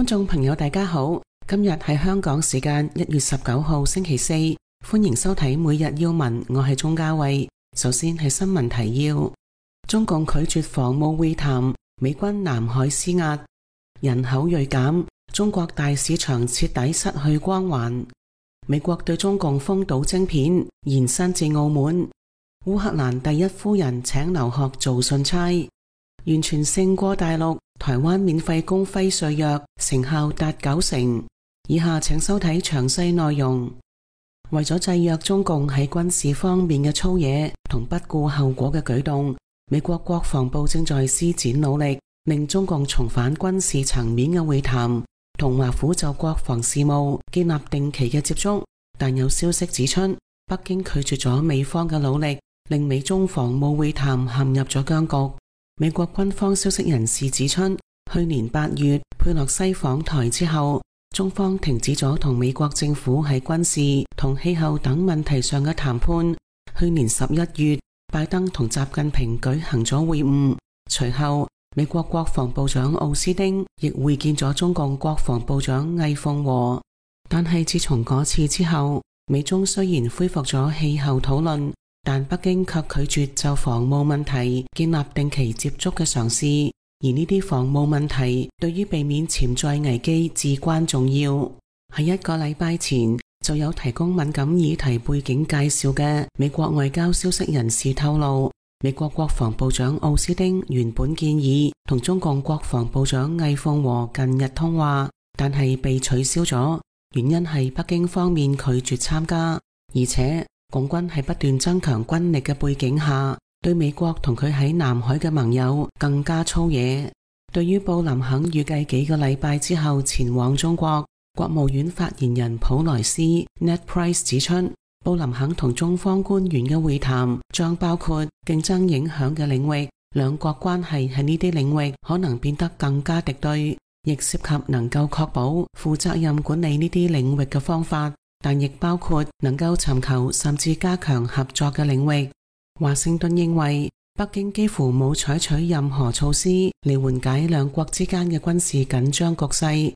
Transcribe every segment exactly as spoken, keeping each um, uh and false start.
觀眾朋友大家好，今日係香港時間一月十九號星期四，歡迎收睇每日要聞，我係鍾嘉慧。首先係新聞提要：中共拒絕防務會談，美軍南海施壓，人口銳減，中國大市場徹底失去光環。美國對中共封堵晶片，延伸至澳門。烏克蘭第一夫人請留學做信差，完全勝過大陸。台灣免費供輝瑞藥，成效達九成。以下請收睇詳細內容。為咗制約中共喺軍事方面嘅粗野同不顧後果嘅舉動，美國國防部正在施展努力，令中共重返軍事層面嘅會談，同華府就國防事務建立定期嘅接觸。但有消息指出，北京拒絕咗美方嘅努力，令美中防務會談陷入咗僵局。美國軍方消息人士指出，去年八月佩洛西訪台之後，中方停止咗同美國政府喺軍事同氣候等問題上嘅談判。去年十一月，拜登同習近平舉行咗會晤，隨後美國國防部長奧斯汀亦會見咗中共國防部長魏鳳和。但係自從嗰次之後，美中雖然恢復咗氣候討論，但北京卻拒絕就防務問題建立定期接觸嘅嘗試，而呢啲防務問題對於避免潛在危機至關重要。喺一個禮拜前，就有提供敏感議題背景介紹嘅美國外交消息人士透露，美國國防部長奧斯汀原本建議同中共國防部長魏鳳和近日通話，但係被取消咗，原因係北京方面拒絕參加，而且共軍喺不斷增強軍力嘅背景下，對美國同佢喺南海嘅盟友更加粗野。對於布林肯預計幾個禮拜之後前往中國，國務院發言人普萊斯 Ned Price 指出，布林肯同中方官員嘅會談將包括競爭影響嘅領域，兩國關係喺呢啲領域可能變得更加敵對，亦涉及能夠確保負責任管理呢啲領域嘅方法，但亦包括能夠尋求甚至加強合作嘅領域。華盛頓認為，北京幾乎冇採取任何措施嚟緩解兩國之間嘅軍事緊張局勢。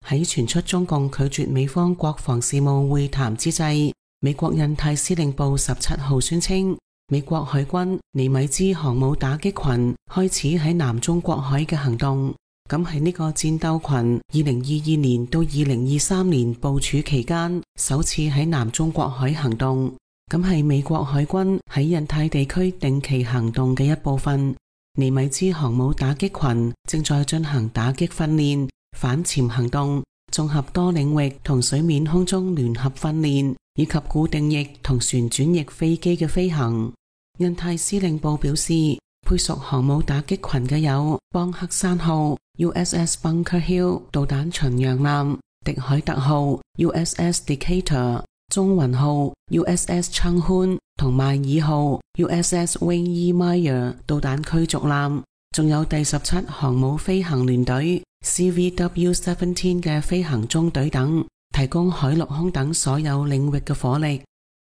喺傳出中共拒絕美方國防事務會談之際，美國印太司令部十七號宣稱，美國海軍尼米茲航母打擊群開始喺南中國海嘅行動。咁喺呢個戰鬥群二零二二年到二零二三年部署期間，首次喺南中國海行動。咁係美國海軍喺印太地區定期行動嘅一部分。尼米茲航母打擊群正在進行打擊訓練、反潛行動、綜合多領域同水面空中聯合訓練，以及固定翼同旋轉翼飛機嘅飛行。印太司令部表示，配屬航母打擊群嘅有邦克山號、U S S Bunker Hill 導彈巡洋艦、迪凱特號、U S S Decatur、中雲號、U S S Changchun 同邁爾號、U S S Wayne E. Meyer 導彈驅逐艦，仲有第十七航母飛行聯隊 C V W 十七 嘅飛行中隊等，提供海陸空等所有領域嘅火力。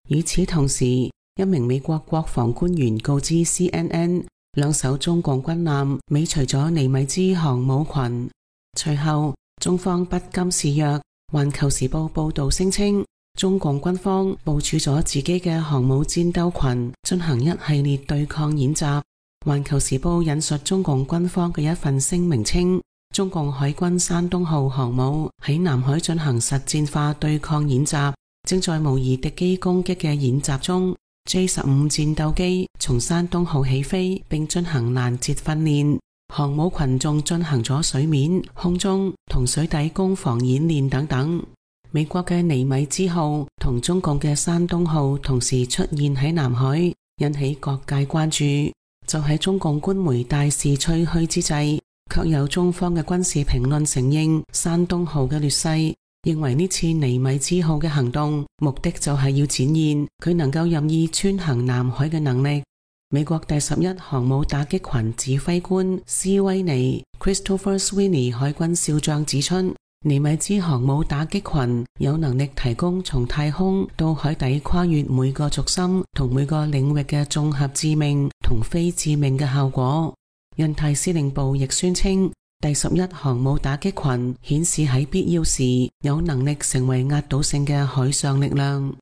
與此同時，一名美國國防官員告知 C N N， 兩艘中共軍艦尾隨咗尼米茲航母群。隨後，中方不甘示弱，環球時報報道聲稱，中共軍方部署咗自己嘅航母戰鬥群，進行一系列對抗演習。環球時報引述中共軍方嘅一份聲明稱，中共海軍山東號航母喺南海進行實戰化對抗演習，正在模擬敵機攻擊嘅演習中。J 十五 戰鬥機從山東號起飛，並進行攔截訓練。航母群眾進行咗水面、空中同水底攻防演練等等。美國嘅尼米茲號同中共嘅山東號同時出現喺南海，引起各界關注。就喺中共官媒大肆吹噓之際，卻有中方嘅軍事評論承認山東號嘅劣勢，認為呢次尼米茲號嘅行動目的就係要展現佢能夠任意穿行南海嘅能力。美國第十一航母打擊群指揮官斯威尼 Christopher Sweeney 海軍少將指出，尼米茲航母打擊群有能力提供從太空到海底跨越每個軸心同每個領域嘅綜合致命同非致命嘅效果。印太司令部亦宣稱，第十一航母打擊群顯示喺必要時有能力成為壓倒性嘅海上力量。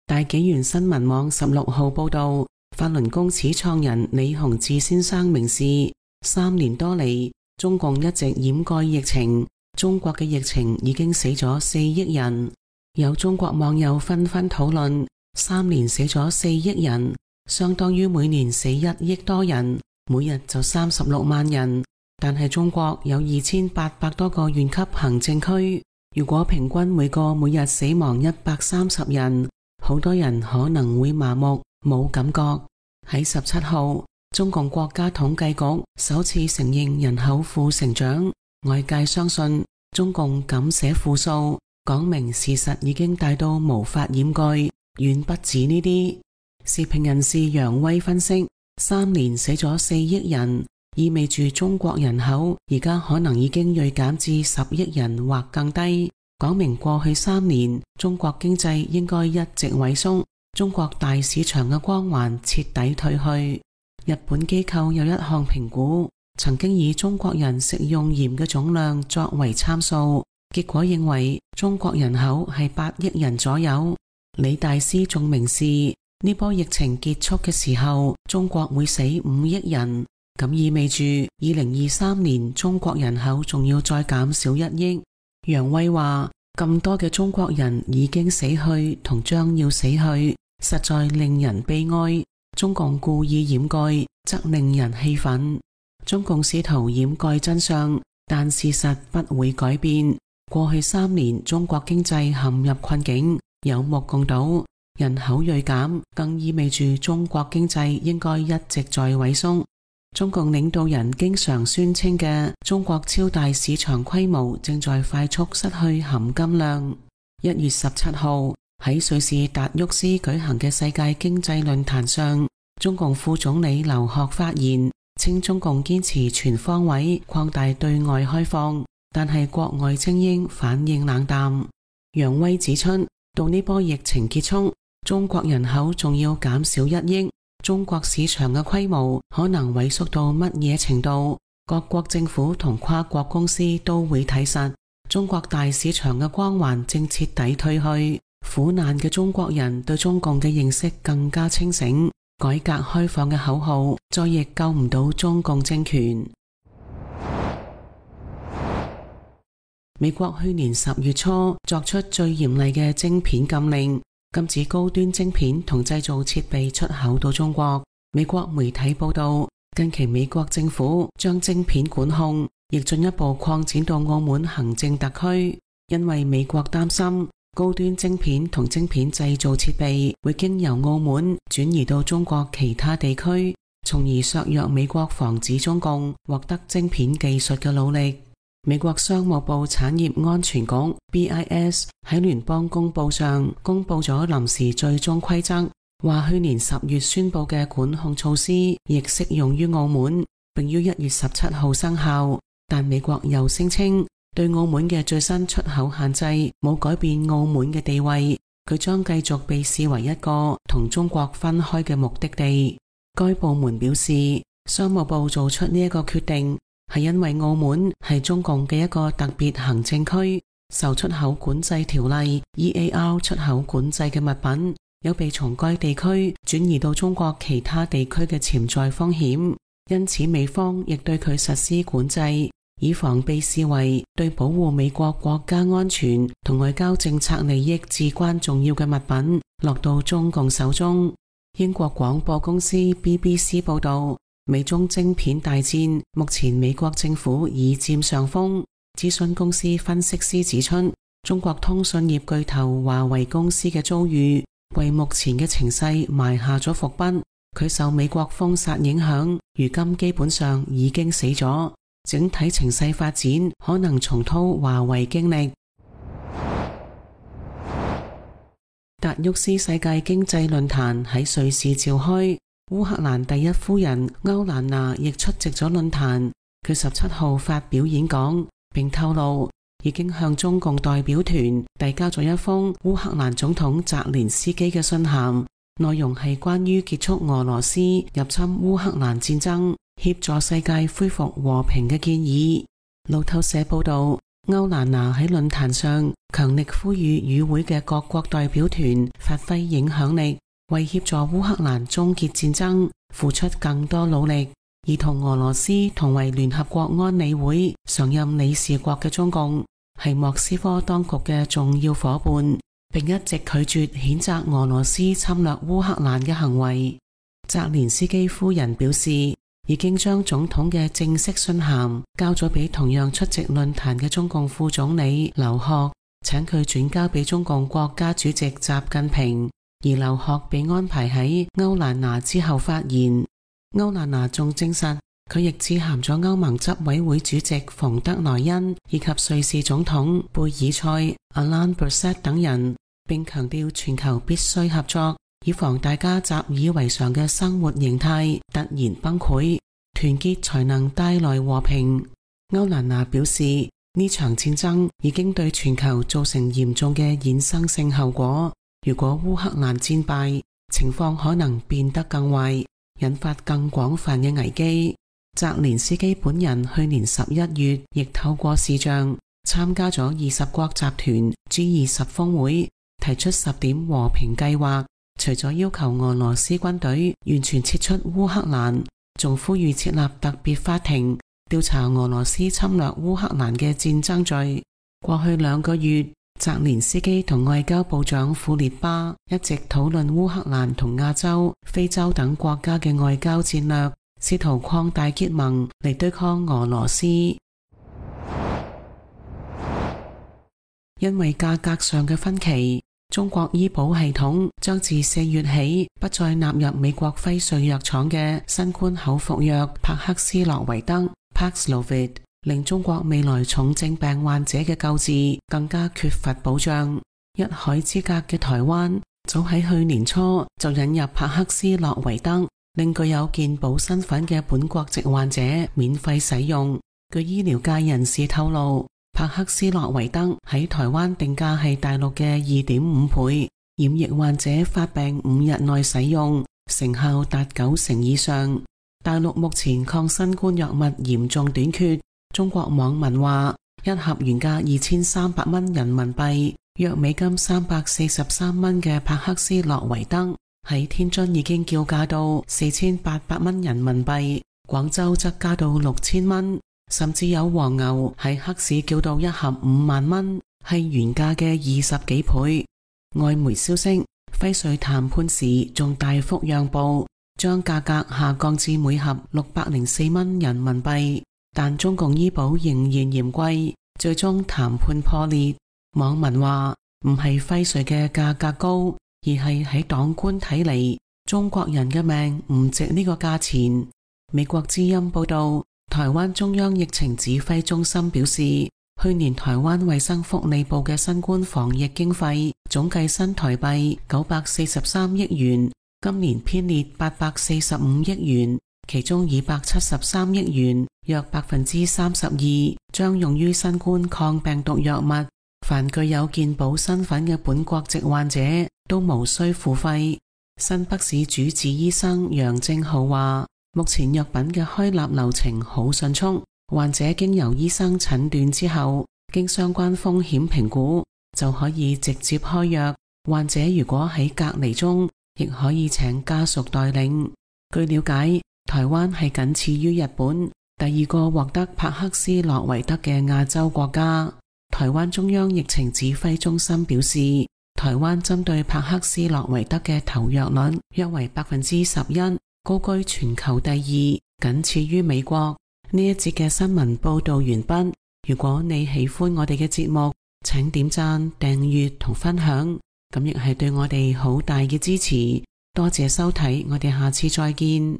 大紀元新聞網十六號報道，法輪功始創人李洪志先生明示，三年多嚟，中共一直掩蓋疫情，中國嘅疫情已經死咗四億人。有中國網友紛紛討論，三年死咗四億人，相當於每年死一億多人，每日就三十六萬人。但係中國有二千八百多個縣級行政區，如果平均每個每日死亡一百三十人，好多人可能會麻木冇感覺。喺十七號，中共國家統計局首次承認人口負成長，外界相信中共敢寫負數，講明事實已經大到無法掩蓋，遠不止呢啲。時評人士楊威分析，三年死咗四億人，意味住中國人口而家可能已經銳減至十億人或更低，講明過去三年中國經濟應該一直萎縮，中國大市場嘅光環徹底退去。日本機構有一項評估，曾經以中國人食用鹽嘅總量作為參數，結果認為中國人口係八億人左右。李大師仲明示，呢波疫情結束嘅時候，中國會死五億人，咁意味住二零二三年中國人口仲要再減少一億。楊威話，咁多嘅中國人已經死去同將要死去，實在令人悲哀。中共故意掩蓋，則令人氣憤。中共試圖掩蓋真相，但事實不會改變。過去三年中國經濟陷入困境，有目共睹。人口銳減，更意味住中國經濟應該一直在萎縮。中共領導人經常宣稱嘅中國超大市場規模正在快速失去含金量。一月十七號喺瑞士達沃斯舉行嘅世界經濟論壇上，中共副總理劉鶴發言，稱中共堅持全方位擴大對外開放，但係國外精英反應冷淡。楊威指出，到呢波疫情結束，中國人口仲要減少一億，中國市場嘅規模可能萎縮到乜嘢程度，各國政府同跨國公司都會睇實。中國大市場嘅光環正徹底退去，苦難嘅中國人對中共嘅認識更加清醒，改革開放嘅口號再亦救唔到中共政權。美國去年十月初作出最嚴厲嘅晶片禁令，禁止高端晶片同製造設備出口到中國。美國媒體報道，近期美國政府將晶片管控亦進一步擴展到澳門行政特區，因為美國擔心高端晶片同晶片製造設備會經由澳門轉移到中國其他地區，從而削弱美國防止中共獲得晶片技術嘅努力。美國商務部產業安全局 B I S 喺聯邦公報上公布咗臨時最終規則，話去年十月宣布嘅管控措施亦適用於澳門，並於一月十七號生效。但美國又聲稱對澳門嘅最新出口限制冇改變澳門嘅地位，佢將繼續被視為一個同中國分開嘅目的地。該部門表示，商務部做出呢一個決定係因為澳門係中共嘅一個特別行政區，受出口管制條例 E A R 出口管制嘅物品有被從該地區轉移到中國其他地區嘅潛在風險，因此美方亦對佢實施管制，以防被視為對保護美國國家安全同外交政策利益至關重要嘅物品落到中共手中。英國廣播公司 B B C 報道，美中晶片大戰，目前美國政府已佔上風。諮詢公司分析師指出，中國通訊業巨頭華為公司嘅遭遇，為目前嘅情勢埋下咗伏筆。佢受美國封殺影響，如今基本上已經死咗。整體情勢發展可能重蹈華為經歷。達沃斯世界經濟論壇喺瑞士召開，烏克蘭第一夫人歐蘭娜亦出席咗論壇。佢十七號發表演講，並透露已經向中共代表團遞交咗一封烏克蘭總統澤連斯基嘅信函，內容係關於結束俄羅斯入侵烏克蘭戰爭。協助世界恢復和平嘅建議。路透社報道，歐蘭娜喺論壇上強力呼籲與會嘅各國代表團發揮影響力，為協助烏克蘭終結戰爭付出更多努力。而同俄羅斯同為聯合國安理會常任理事國嘅中共，係莫斯科當局嘅重要夥伴，並一直拒絕譴責俄羅斯侵略烏克蘭嘅行為。澤連斯基夫人表示，已經將總統嘅正式信函交咗俾同樣出席論壇嘅中共副總理劉鶴，請佢轉交俾中共國家主席習近平，而劉鶴被安排喺歐蘭娜之後發言。歐蘭娜仲證實，佢亦致函咗歐盟執委會主席馮德萊恩以及瑞士總統貝爾塞、Alain Berset 等人，並強調全球必須合作，以防大家習以為常嘅生活形態突然崩潰，團結才能帶來和平。歐蘭娜表示，呢場戰爭已經對全球造成嚴重嘅衍生性後果，如果烏克蘭戰敗，情況可能變得更壞，引發更廣泛嘅危機。澤連斯基本人去年十一月亦透過視像參加咗二十國集團 G 二十峰會，提出十點和平計劃，除咗要求俄羅斯軍隊完全撤出烏克蘭，仲呼籲設立特別法庭調查俄羅斯侵略烏克蘭嘅戰爭罪。過去兩個月，澤連斯基同外交部長庫列巴一直討論烏克蘭同亞洲、非洲等國家嘅外交戰略，試圖擴大結盟嚟對抗俄羅斯。因為價格上嘅分歧，中國醫保系統將自四月起不再納入美國輝瑞藥廠嘅新冠口服藥帕克斯洛維德 Paxlovid， 令中國未來重症病患者嘅救治更加缺乏保障。一海之隔嘅台灣早喺去年初就引入帕克斯洛維德，令具有健保身份嘅本國籍患者免費使用。據醫療界人士透露，帕克斯洛維德喺台灣定價係大陸嘅二點五倍，染疫患者發病五日內使用，成效達九成以上。大陸目前抗新冠藥物嚴重短缺，中國網民話，一盒原價二千三百蚊人民幣，約美金三百四十三蚊嘅帕克斯洛維德喺天津已經叫價到四千八百蚊人民幣，廣州則加到六千蚊，甚至有黃牛喺黑市叫到一盒五萬蚊，係原價嘅二十幾倍。外媒消息，輝瑞談判時仲大幅讓步，將價格下降至每盒六百零四蚊人民幣，但中共醫保仍然嫌貴，最終談判破裂。網民話，唔係輝瑞嘅價格高，而係喺黨官睇嚟，中國人嘅命唔值呢個價錢。美國之音報道，台灣中央疫情指揮中心表示，去年台灣衛生福利部嘅新冠防疫經費總計新台幣九百四十三億元，今年編列八百四十五億元，其中二百七十三億元，約百分之三十二，將用於新冠抗病毒藥物。凡具有健保身份嘅本國籍患者都無需付費。新北市主治醫生楊正浩話，目前藥品嘅開立流程好迅速，患者經由醫生診斷之後，經相關風險評估，就可以直接開藥。患者如果喺隔離中，亦可以請家屬代領。據了解，台灣係僅次於日本，第二個獲得帕克斯洛維德嘅亞洲國家。台灣中央疫情指揮中心表示，台灣針對帕克斯洛維德嘅投藥率約為百分之十一，高居全球第二，僅次於美國。呢一節嘅新聞報道完畢。如果你喜歡我哋嘅節目，請點讚、訂閱同分享，咁亦係對我哋好大嘅支持。多謝收睇，我哋下次再見。